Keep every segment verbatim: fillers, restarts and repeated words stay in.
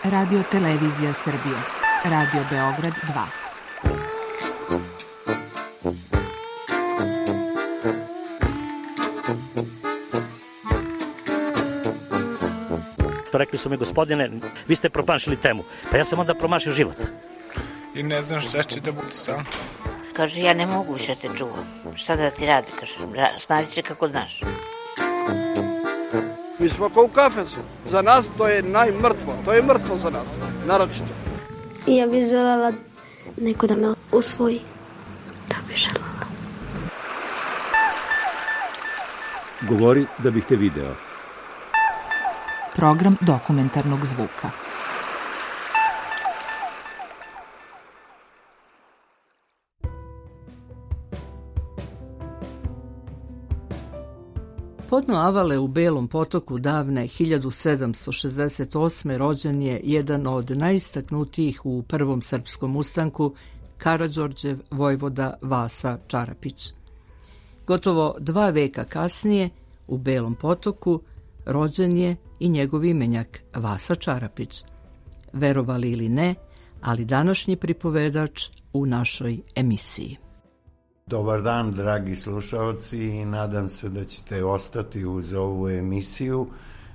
Radio Televizija Srbije. Radio Beograd dva. Rekli su mi, gospodine, vi ste promašili temu. Pa ja sam onda promašio život. I ne znam šta će da bude sam. Kaže, ja ne mogu više te čuvam. Šta da ti radi, kaže, snađi se kako znaš. Mi smo kao u kafesu. Za nas to je najmrtvo. To je mrtvo za nas, naročito. I ja bih želela neko da me usvoji. To bih želela. Govori da bih te video. Program dokumentarnog zvuka. Podno Avale u Belom Potoku davne hiljadu sedamsto šezdeset osme rođen je jedan od najistaknutijih u Prvom srpskom ustanku, Karađorđev vojvoda Vasa Čarapić. Gotovo dva veka kasnije, u Belom Potoku, rođen je i njegov imenjak Vasa Čarapić. Verovali ili ne, ali današnji pripovedač u našoj emisiji. Dobar dan, dragi slušalci, i nadam se da ćete ostati uz ovu emisiju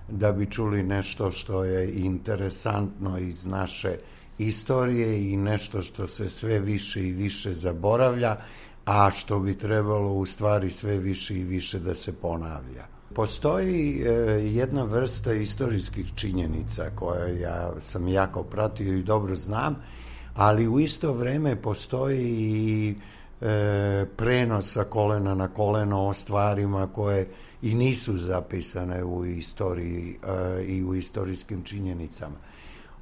da bi čuli nešto što je interesantno iz naše istorije i nešto što se sve više i više zaboravlja, a što bi trebalo u stvari sve više i više da se ponavlja. Postoji e, jedna vrsta istorijskih činjenica koje ja sam jako pratio i dobro znam, ali u isto vreme postoji i e, prenos sa kolena na koleno o stvarima koje i nisu zapisane u istoriji e, i u istorijskim činjenicama.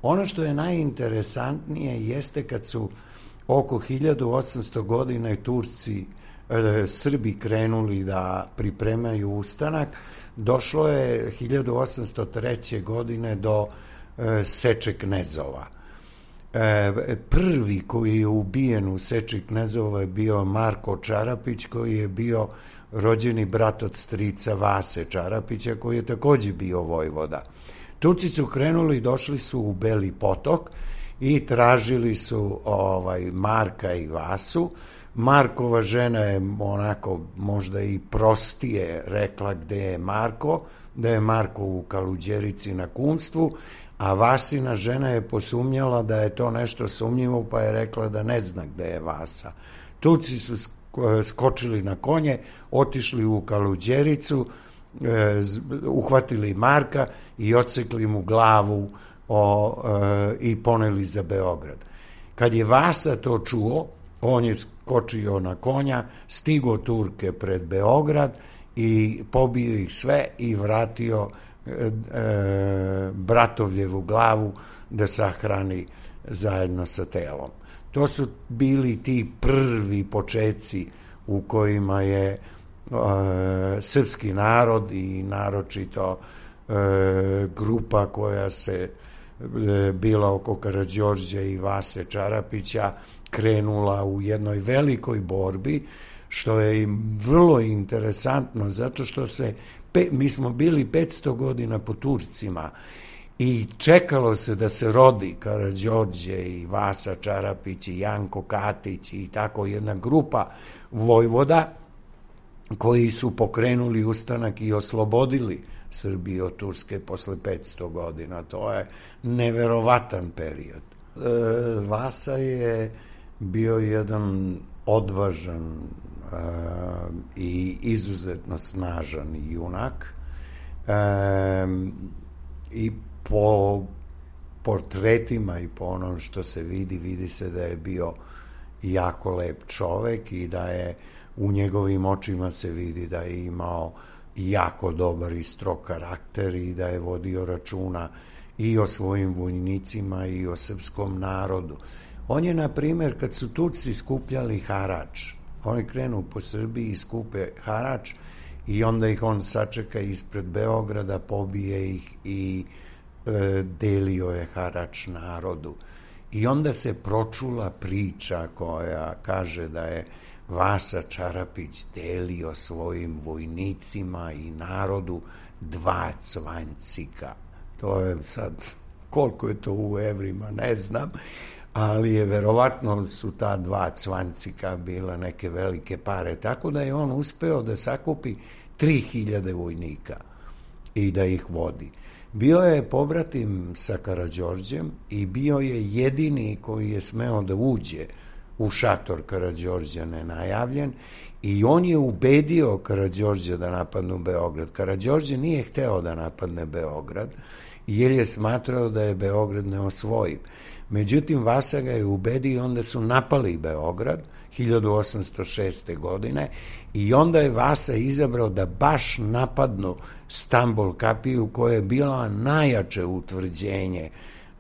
Ono što je najinteresantnije jeste kad su oko hiljadu osamsto godina i Turci e, Srbi krenuli da pripremaju ustanak, došlo je hiljadu osamsto treće. godine do e, seče knezova. E, prvi koji je ubijen u seči knezova je bio Marko Čarapić, koji je bio rođeni brat od strica Vase Čarapića, koji je takođe bio vojvoda. Turci su krenuli, došli su u Beli Potok i tražili su ovaj Marka i Vasu. Markova žena je onako možda i prostije rekla gde je Marko, da je Marko u Kaluđerici na kumstvu, a Vasina žena je posumnjala da je to nešto sumnjivo, pa je rekla da ne zna gde je Vasa. Turci su skočili na konje, otišli u Kaluđericu, uhvatili Marka i odsekli mu glavu o, e, i poneli za Beograd. Kad je Vasa to čuo, on je skočio na konja, stigo Turke pred Beograd i pobio ih sve i vratio e, e, Bratovljevu glavu da sahrani zajedno sa telom. To su bili ti prvi počeci u kojima je e, srpski narod i naročito e, grupa koja se e, bila oko Karađorđa i Vase Čarapića krenula u jednoj velikoj borbi, što je vrlo interesantno zato što se, pe, mi smo bili petsto godina po Turcima i čekalo se da se rodi Karađorđe i Vasa Čarapić i Janko Katić i tako jedna grupa vojvoda koji su pokrenuli ustanak i oslobodili Srbiju od Turske posle petsto godina. To je neverovatan period. E, Vasa je bio jedan odvažan e, i izuzetno snažan junak e, i po portretima i po onom što se vidi, vidi se da je bio jako lep čovek i da je u njegovim očima se vidi da je imao jako dobar i strog karakter i da je vodio računa i o svojim vojnicima i o srpskom narodu. On je, na primjer, kad su Turci skupljali harač, oni krenu po Srbiji i skupe harač i onda ih on sačeka ispred Beograda, pobije ih i e, delio je harač narodu. I onda se pročula priča koja kaže da je Vasa Čarapić delio svojim vojnicima i narodu dva cvanjcika. To je sad koliko je to u evrima, ne znam, ali je verovatno su ta dva cvancika bila neke velike pare, tako da je on uspeo da sakupi tri hiljade vojnika i da ih vodi. Bio je pobratim sa Karađorđem i bio je jedini koji je smeo da uđe u šator Karađorđa nenajavljen i on je ubedio Karađorđa da napadnu Beograd. Karađorđe nije hteo da napadne Beograd jer je smatrao da je Beograd neosvojiv. Međutim, Vasa ga je ubedio i onda su napali Beograd hiljadu osamsto šeste. godine i onda je Vasa izabrao da baš napadnu Stambol kapiju koja je bila najjače utvrđenje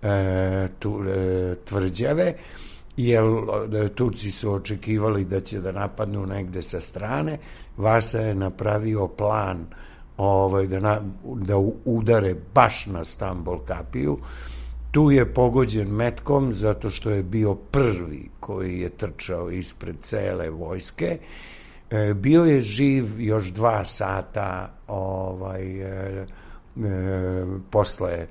e, tu, e, tvrđave, jer Turci su očekivali da će da napadnu negde sa strane. Vasa je napravio plan ovaj, da, na, da udare baš na Stambol kapiju. Tu je pogođen metkom zato što je bio prvi koji je trčao ispred cele vojske. E, bio je živ još dva sata ovaj, e, e, posle e,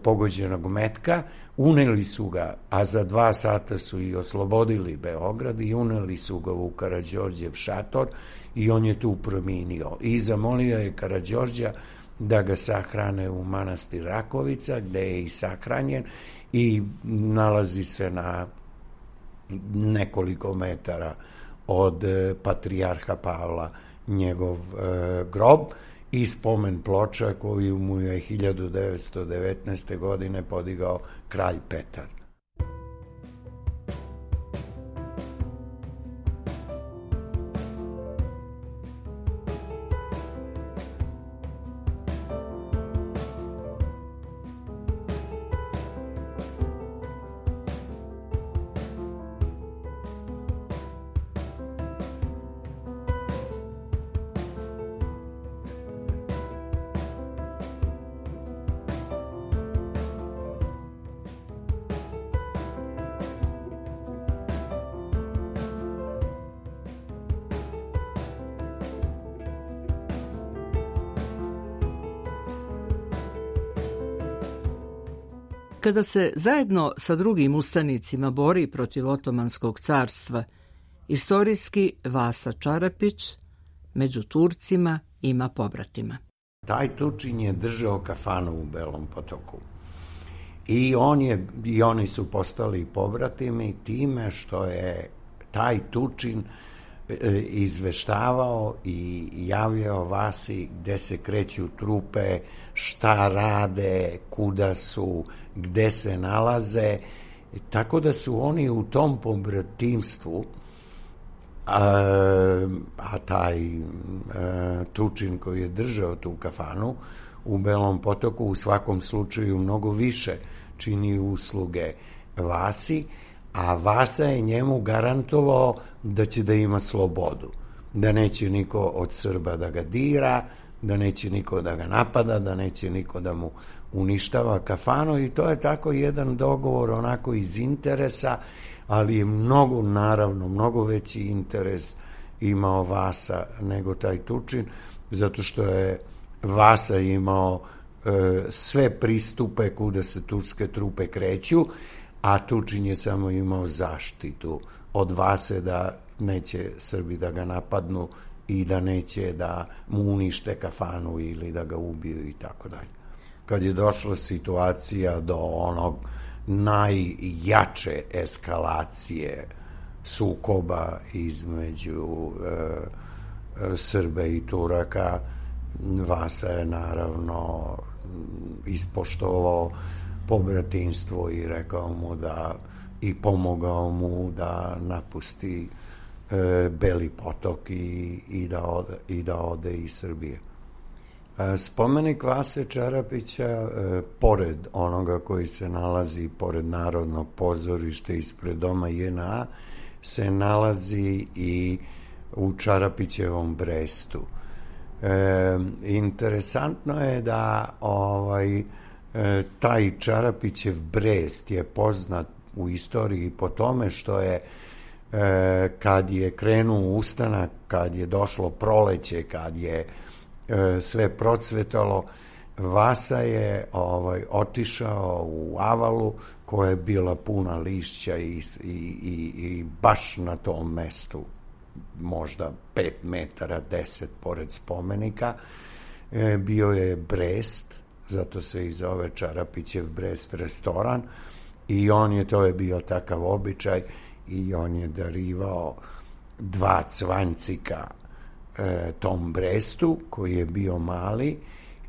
pogođenog metka. Uneli su ga, a za dva sata su i oslobodili Beograd i uneli su ga u Karađorđev šator i on je tu preminio. I zamolio je Karađorđa da ga sahrane u manastir Rakovica, gde je i sahranjen i nalazi se na nekoliko metara od patrijarha Pavla njegov e, grob i spomen ploča koju mu je hiljadu devetsto devetnaeste. godine podigao kralj Petar. Kada se zajedno sa drugim ustanicima bori protiv Otomanskog carstva, istorijski Vasa Čarapić među Turcima ima pobratima. Taj Tučin je držao kafanu u Belom Potoku. I, on je, i oni su postali pobratimi time što je taj Tučin izveštavao i javljao Vasi gde se kreću trupe, šta rade, kuda su, gde se nalaze. Tako da su oni u tom pobratimstvu, a, a taj a, Tučin koji je držao tu kafanu u Belom Potoku u svakom slučaju mnogo više čini usluge Vasi, a Vasa je njemu garantovao da će da ima slobodu, da neće niko od Srba da ga dira, da neće niko da ga napada, da neće niko da mu uništava kafanu i to je tako jedan dogovor onako iz interesa, ali je mnogo, naravno, mnogo veći interes imao Vasa nego taj Tučin, zato što je Vasa imao e, sve pristupe kuda se turske trupe kreću, a Tučin je samo imao zaštitu od Vase da neće Srbi da ga napadnu i da neće da mu unište kafanu ili da ga ubiju i tako dalje. Kad je došla situacija do onog najjače eskalacije sukoba između e, Srba i Turaka, Vasa je naravno ispoštovao pobratinstvo i rekao mu da i pomogao mu da napusti e, Beli Potok i, i, da ode, i da ode iz Srbije. E, spomenik Vase Čarapića, e, pored onoga koji se nalazi pored Narodnog pozorišta ispred doma J N A, se nalazi i u Čarapićevom Brestu. E, interesantno je da ovaj E, taj Čarapićev Brest je poznat u istoriji po tome što je e, kad je krenuo ustanak, kad je došlo proleće, kad je e, sve procvetalo, Vasa je ovaj, otišao u Avalu koja je bila puna lišća i, i, i, i baš na tom mestu, možda pet metara, deset pored spomenika, e, bio je Brest, zato se i zove Čarapićev Brest restoran, i on je, to je bio takav običaj, i on je darivao dva cvancika e, tom Brestu, koji je bio mali,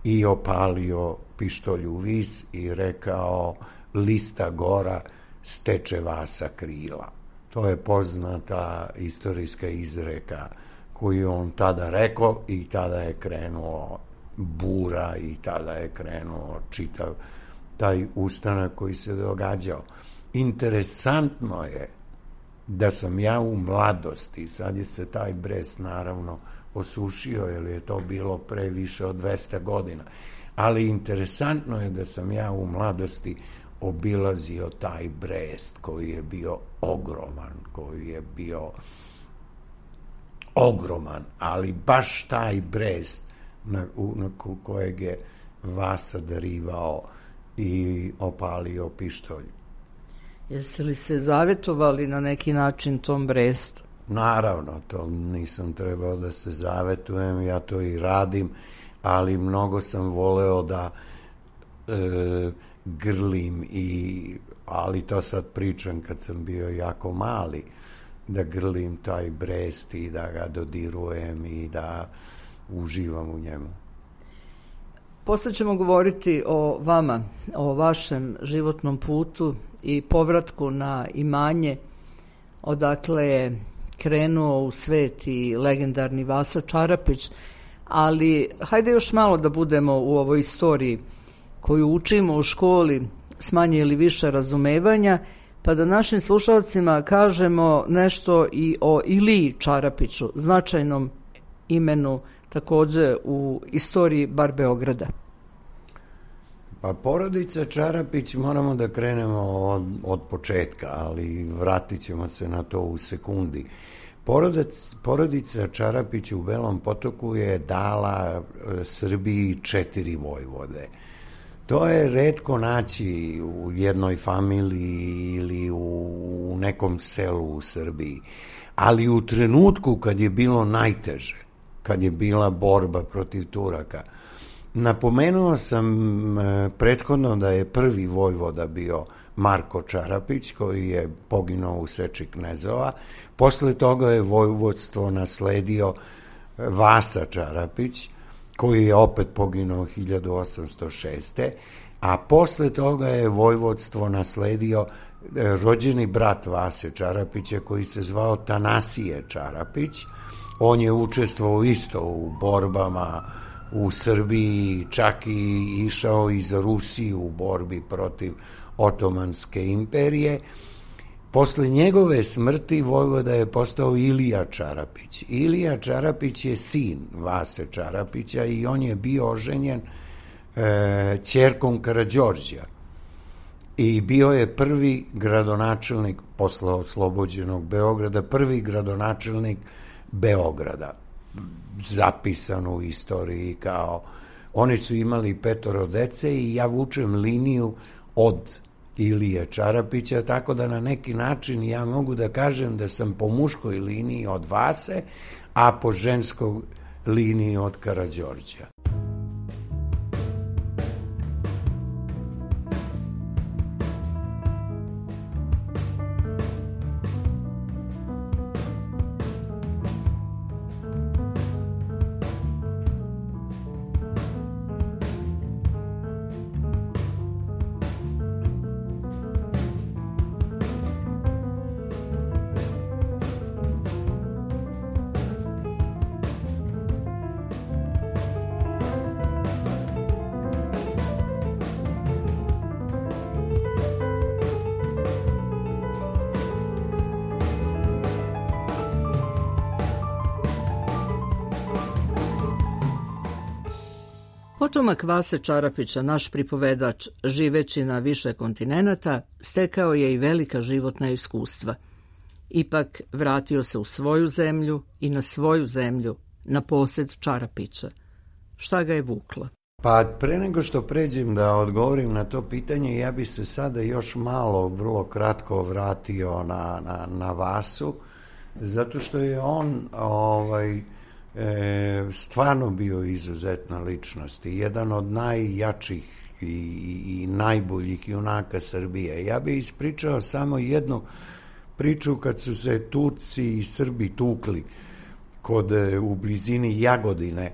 i opalio pištolj u vis i rekao: lista gora, steče Vasa krila. To je poznata istorijska izreka koju on tada rekao, i tada je krenuo bura i tada je krenuo čitav taj ustanak koji se događao. Interesantno je da sam ja u mladosti, sad je se taj Brest naravno osušio, jer je to bilo pre više od dvesta godina, ali interesantno je da sam ja u mladosti obilazio taj Brest koji je bio ogroman, koji je bio ogroman, ali baš taj Brest na, u, na kojeg je Vasa darivao i opalio pištolj. Jeste li se zavetovali na neki način tom Brestu? Naravno, to nisam trebao da se zavetujem, ja to i radim, ali mnogo sam voleo da e, grlim, i, ali to sad pričam kad sam bio jako mali, da grlim taj Brest i da ga dodirujem i da uživam u njemu. Posle ćemo govoriti o vama, o vašem životnom putu i povratku na imanje odakle je krenuo u svet i legendarni Vasa Čarapić, ali hajde još malo da budemo u ovoj istoriji koju učimo u školi s manje ili više razumevanja, pa da našim slušalcima kažemo nešto i o Iliji Čarapiću, značajnom imenu takođe u istoriji bar Beograda. Pa porodica Čarapić, moramo da krenemo od, od početka, ali vratit ćemo se na to u sekundi. Porodic, porodica Čarapić u Belom Potoku je dala Srbiji četiri vojvode. To je retko naći u jednoj familiji ili u, u nekom selu u Srbiji. Ali u trenutku kad je bilo najteže, kad je bila borba protiv Turaka, napomenuo sam prethodno da je prvi vojvoda bio Marko Čarapić, koji je poginuo u seči knezova. Posle toga je vojvodstvo nasledio Vasa Čarapić, koji je opet poginuo hiljadu osamsto šeste. A posle toga je vojvodstvo nasledio rođeni brat Vase Čarapića, koji se zvao Tanasije Čarapić. On je učestvovao isto u borbama u Srbiji, čak i išao i za Rusiju u borbi protiv Otomanske imperije. Posle njegove smrti vojvoda je postao Ilija Čarapić. Ilija Čarapić je sin Vase Čarapića i on je bio oženjen e, ćerkom Karađorđa. I bio je prvi gradonačelnik, posle oslobođenog Beograda, prvi gradonačelnik Beograda, zapisan u istoriji kao, oni su imali petoro dece i ja vučem liniju od Ilije Čarapića, tako da na neki način ja mogu da kažem da sam po muškoj liniji od Vase, a po ženskoj liniji od Karađorđa. Potomak Vase Čarapića, naš pripovedač, živeći na više kontinenata, stekao je i velika životna iskustva. Ipak vratio se u svoju zemlju i na svoju zemlju, na posed Čarapića. Šta ga je vuklo? Pa pre nego što pređem da odgovorim na to pitanje, ja bi se sada još malo, vrlo kratko vratio na, na, na Vasu, zato što je on ovaj, e, stvarno bio izuzetna ličnost i jedan od najjačih i, i, i najboljih junaka Srbije. Ja bih ispričao samo jednu priču kad su se Turci i Srbi tukli kod, u blizini Jagodine.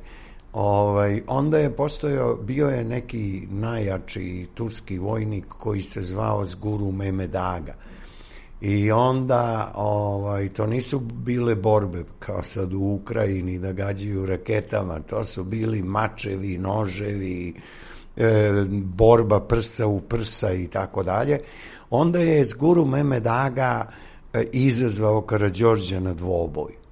Ovaj, onda je postojao, bio je neki najjači turski vojnik koji se zvao Zguru Mehmed Aga. I onda, ovaj, to nisu bile borbe kao sad u Ukrajini da gađaju raketama, to su bili mačevi, noževi, e, borba prsa u prsa i tako dalje. Onda je Zguru Mehmed Aga e, izazvao Karađorđa na dvoboj.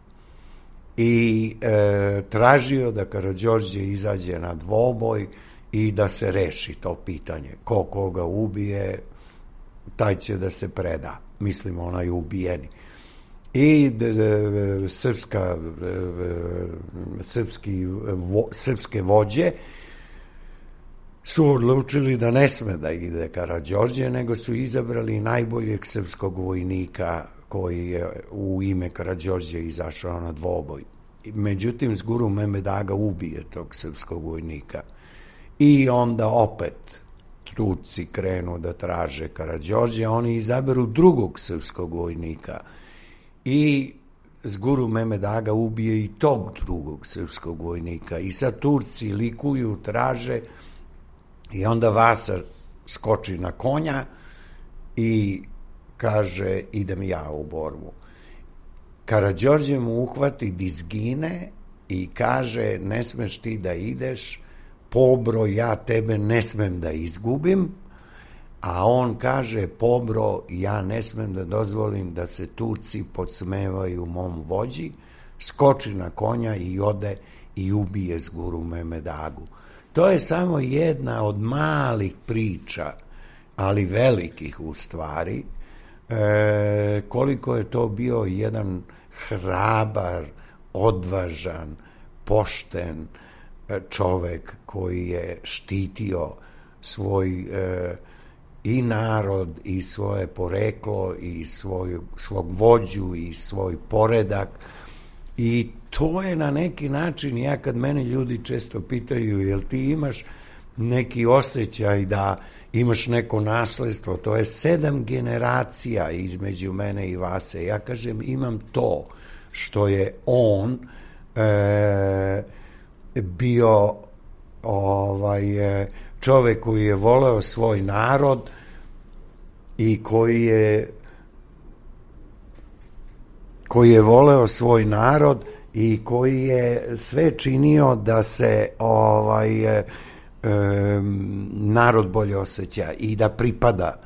I e, tražio da Karađorđe izađe na dvoboj i da se reši to pitanje. Ko koga ubije, taj će da se preda. Mislim, onaj ubijeni. I de, de, srpska, de, srpski, vo, srpske vođe su odlučili da ne sme da ide Karađorđe, nego su izabrali najboljeg srpskog vojnika koji je u ime Karađorđe izašao na dvoboj. Međutim, Zguru Mehmed Aga ubije tog srpskog vojnika. I onda opet Turci krenu da traže Karađorđe, oni izaberu drugog srpskog vojnika. I Zguru Mehmed Aga ubije i tog drugog srpskog vojnika. I sad Turci likuju, traže, i onda Vasa skoči na konja i kaže, idem ja u borbu. Karađorđe mu uhvati dizgine i kaže, ne smeš ti da ideš, Pobro, ja tebe ne smem da izgubim, a on kaže, Pobro, ja ne smem da dozvolim da se Turci podsmevaju mom vođi, skoči na konja i ode i ubije Zguru Mehmed Agu. To je samo jedna od malih priča, ali velikih u stvari, E, koliko je to bio jedan hrabar, odvažan, pošten čovek koji je štitio svoj e, i narod i svoje poreklo i svoj, svog vođu i svoj poredak. I to je na neki način, ja kad mene ljudi često pitaju, jel ti imaš neki osjećaj da imaš neko nasledstvo, to je sedam generacija između mene i Vase. Ja kažem, imam to što je on e, bio ovaj, čovek koji je voleo svoj narod i koji je koji je voleo svoj narod i koji je sve činio da se ovaj e, narod bolje osjeća i da pripada.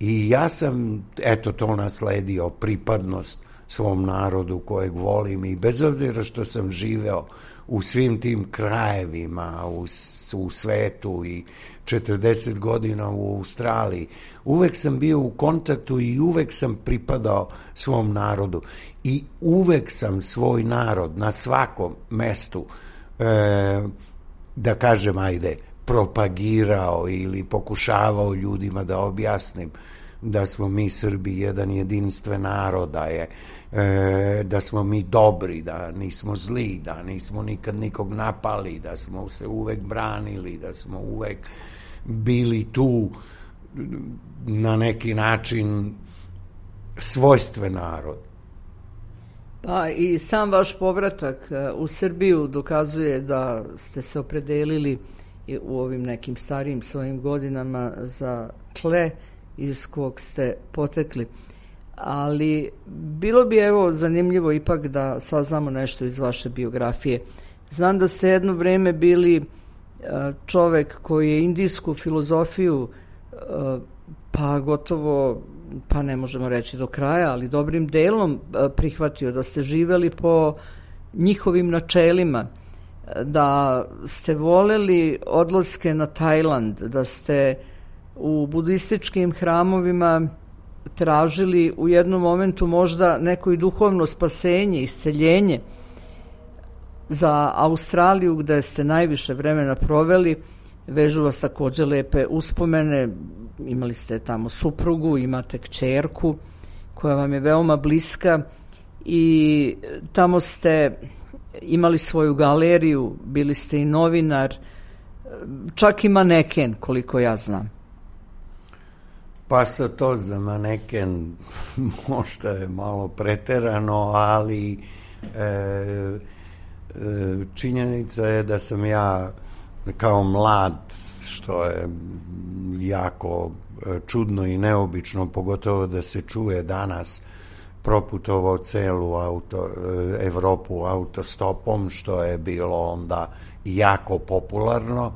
I ja sam, eto, to nasledio, pripadnost svom narodu kojeg volim, i bez obzira što sam živeo u svim tim krajevima u, u svetu i četrdeset godina u Australiji, uvek sam bio u kontaktu i uvek sam pripadao svom narodu i uvek sam svoj narod na svakom mestu e, da kažem, ajde, propagirao ili pokušavao ljudima da objasnim da smo mi Srbi jedan jedinstven narod, da je e, da smo mi dobri, da nismo zli, da nismo nikad nikog napali, da smo se uvek branili, da smo uvek bili tu na neki način svojstven narod. Pa i sam vaš povratak u Srbiju dokazuje da ste se opredelili u ovim nekim starijim svojim godinama za tle iz kog ste potekli. Ali bilo bi evo zanimljivo ipak da saznamo nešto iz vaše biografije. Znam da ste jedno vreme bili čovek koji je indijsku filozofiju pa gotovo, pa ne možemo reći do kraja, ali dobrim delom prihvatio, da ste živeli po njihovim načelima, da ste voleli odlaske na Tajland, da ste u budističkim hramovima tražili u jednom momentu možda neko i duhovno spasenje, isceljenje. Za Australiju, gde ste najviše vremena proveli, vežu vas također lepe uspomene, imali ste tamo suprugu, imate kćerku koja vam je veoma bliska i tamo ste imali svoju galeriju, bili ste i novinar, čak i maneken, koliko ja znam. Pa sa to za maneken možda je malo preterano, ali e, e, činjenica je da sam ja kao mlad, što je jako čudno i neobično, pogotovo da se čuje danas, proputovao celu auto, Evropu autostopom, što je bilo onda jako popularno,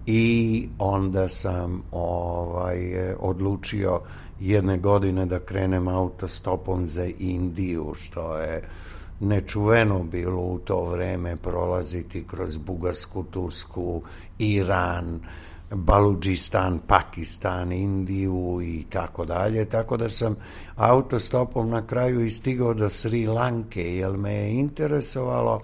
i onda sam ovaj, odlučio jedne godine da krenem autostopom za Indiju, što je nečuveno bilo u to vreme prolaziti kroz Bugarsku, Tursku, Iran, Baludžistan, Pakistan, Indiju i tako dalje, tako da sam autostopom na kraju i stigao do Sri Lanke, jer me je interesovalo,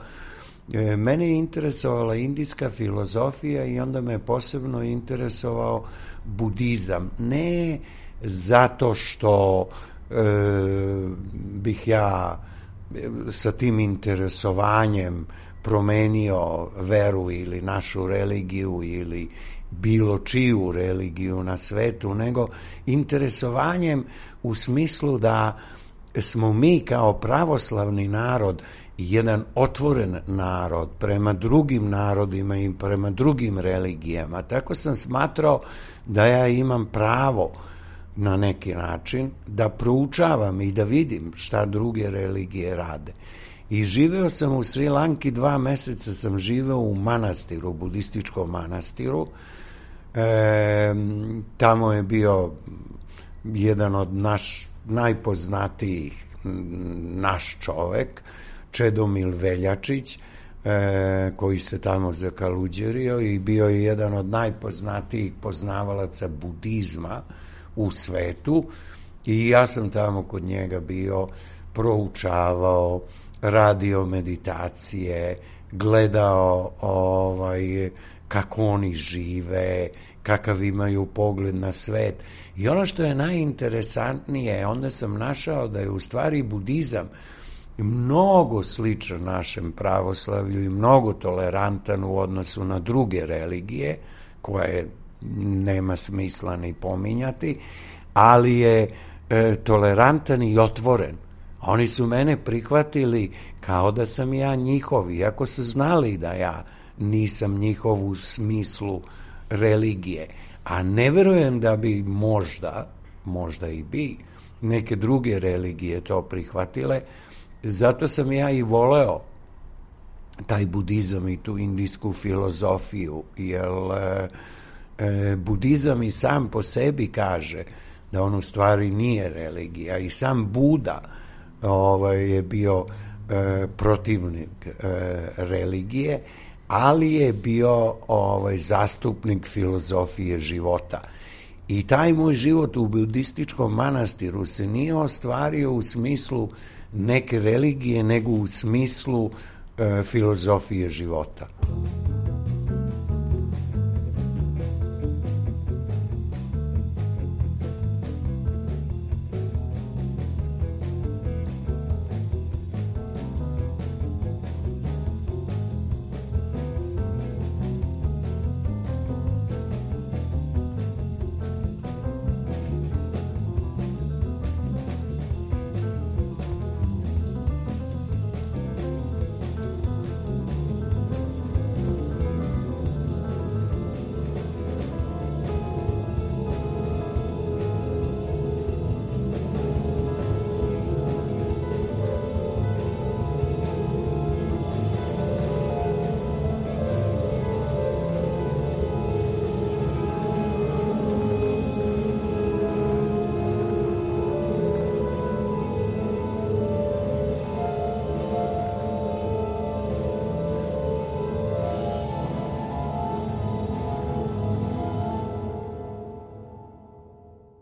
mene je interesovala indijska filozofija i onda me posebno interesovao budizam. Ne zato što e, bih ja sa tim interesovanjem promenio veru ili našu religiju ili bilo čiju religiju na svetu, nego interesovanjem u smislu da smo mi kao pravoslavni narod jedan otvoren narod prema drugim narodima i prema drugim religijama. Tako sam smatrao da ja imam pravo na neki način da proučavam i da vidim šta druge religije rade. I živeo sam u Sri Lanki, dva meseca sam živeo u manastiru, budističkom manastiru. E, tamo je bio jedan od naš najpoznatijih naš čovek, Čedomil Veljačić, e, koji se tamo zakaluđerio i bio je jedan od najpoznatijih poznavalaca budizma u svetu, i ja sam tamo kod njega bio, proučavao, radio meditacije, gledao ovaj, kako oni žive, kakav imaju pogled na svet. I ono što je najinteresantnije, onda sam našao da je u stvari budizam mnogo sličan našem pravoslavlju i mnogo tolerantan u odnosu na druge religije, koje nema smisla ni pominjati, ali je e, tolerantan i otvoren. Oni su mene prihvatili kao da sam ja njihov, iako su znali da ja nisam njihov u smislu religije. A ne verujem da bi možda, možda i bi, neke druge religije to prihvatile. Zato sam ja i voleo taj budizam i tu indijsku filozofiju, jer e, e, budizam i sam po sebi kaže da on u stvari nije religija, i sam Buda ovaj, je bio e, protivnik e, religije, ali je bio ovaj, zastupnik filozofije života. I taj moj život u budističkom manastiru se nije ostvario u smislu neke religije, nego u smislu e, filozofije života.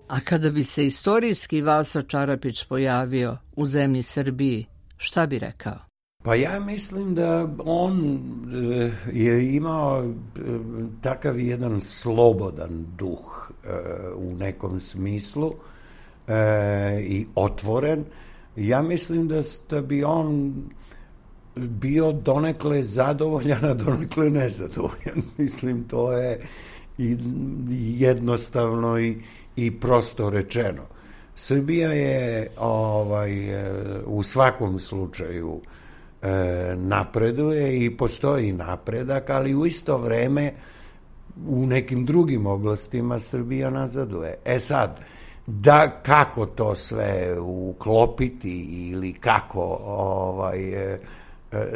A kada bi se istorijski Vasa Čarapić pojavio u zemlji Srbiji, šta bi rekao? Pa ja mislim da on je imao takav jedan slobodan duh u nekom smislu i otvoren. Ja mislim da, da bi on bio donekle zadovoljan, a donekle nezadovoljan. Mislim, to je jednostavno i, i prosto rečeno. Srbija je ovaj, u svakom slučaju e, napreduje i postoji napredak, ali u isto vreme u nekim drugim oblastima Srbija nazaduje. E sad, da kako to sve uklopiti ili kako ovaj, e,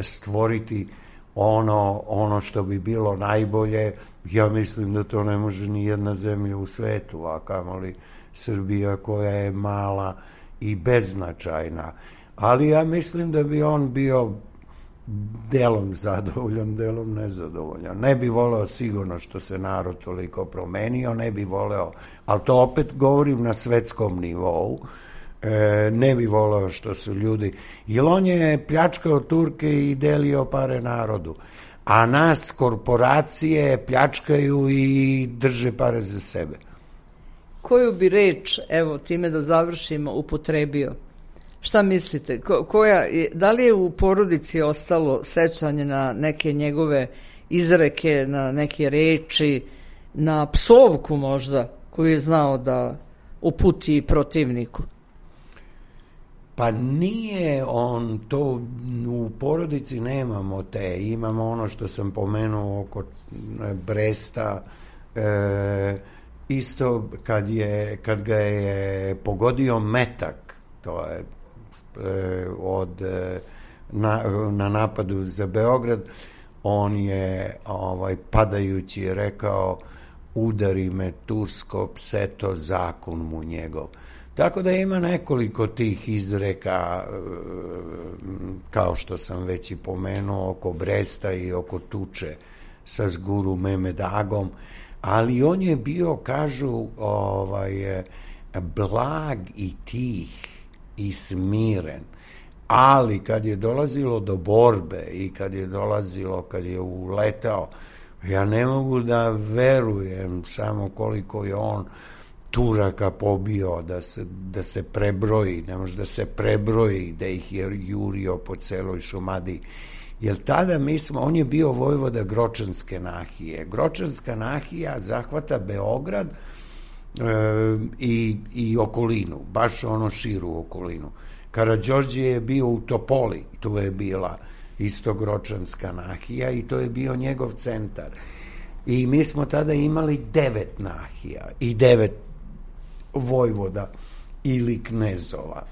stvoriti ono, ono što bi bilo najbolje, ja mislim da to ne može ni jedna zemlja u svetu, a kamoli Srbija koja je mala i beznačajna. Ali ja mislim da bi on bio delom zadovoljan, delom nezadovoljan. Ne bi voleo sigurno što se narod toliko promenio, ne bi voleo, ali to opet govorim na svetskom nivou, e, ne bi voleo što su ljudi, jer on je pljačkao Turke i delio pare narodu, a nas korporacije pljačkaju i drže pare za sebe. Koju bi reč, evo, time da završimo, upotrebio? Šta mislite? Ko, koja, da li je u porodici ostalo sećanje na neke njegove izreke, na neke reči, na psovku možda, koju je znao da uputi protivniku? Pa nije on to, u porodici nemamo te, imamo ono što sam pomenuo oko Bresta, e, isto kad, je, kad ga je pogodio metak, to je e, od, e, na, na napadu za Beograd, on je ovaj, padajući rekao: udari me Tursko pseto, zakon mu njegov. Tako da ima nekoliko tih izreka, kao što sam već i pomenuo, oko Bresta i oko tuče sa Zguru Memedagom, ali on je bio, kažu, ovaj, blag i tih i smiren, ali kad je dolazilo do borbe i kad je dolazilo, kad je uletao, ja ne mogu da verujem samo koliko je on Turaka pobio, da se, da se prebroji, ne može da se prebroji, da ih je jurio po celoj Šumadiji. Jer tada mi smo, on je bio vojvoda Gročanske nahije. Gročanska nahija zahvata Beograd e, i, i okolinu, baš ono širu okolinu. Karađorđe je bio u Topoli, tu je bila isto Gročanska nahija i to je bio njegov centar. I mi smo tada imali devet nahija i devet vojvoda ili knezova.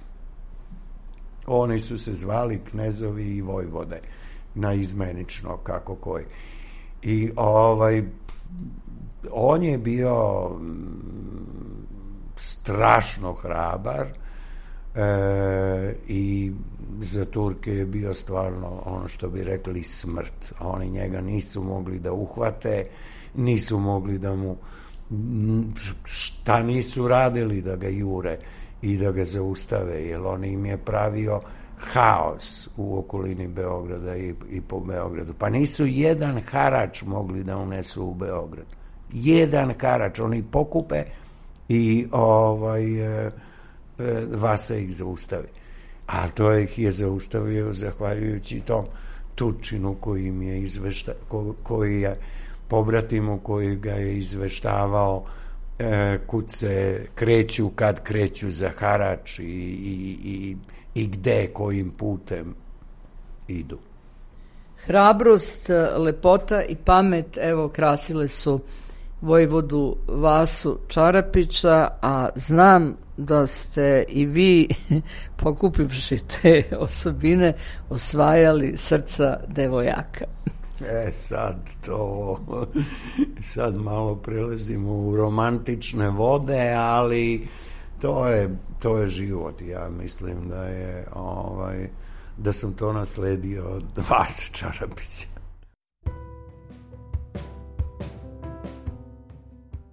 Oni su se zvali knezovi i vojvode, naizmenično, kako koji. I ovaj, on je bio strašno hrabar e, i za Turke je bio stvarno ono što bi rekli smrt. Oni njega nisu mogli da uhvate, nisu mogli da mu šta nisu radili da ga jure i da ga zaustave, jer on im je pravio haos u okolini Beograda i, i po Beogradu. Pa nisu jedan harač mogli da unesu u Beograd. Jedan harač. Oni pokupe i ovaj, e, e, Vasa ih zaustavi. A to ih je zaustavio zahvaljujući tom Turčinu koji im je izvešta, ko, koji je pobratimu koji ga je izveštavao e, kud se kreću, kad kreću za harač i, i, i, i gde, kojim putem idu. Hrabrost, lepota i pamet, evo, krasile su vojvodu Vasu Čarapića, a znam da ste i vi, pokupivši te osobine, osvajali srca devojaka. E sad to, sad malo prelazimo u romantične vode, ali to je, to je život. Ja mislim da je, ovaj, da sam to nasledio od Vase Čarapića.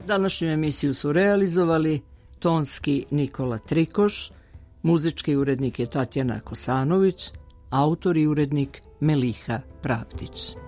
Današnju emisiju su realizovali tonski Nikola Trikoš, muzički urednik je Tatjana Kosanović, autor i urednik Meliha Pravdić.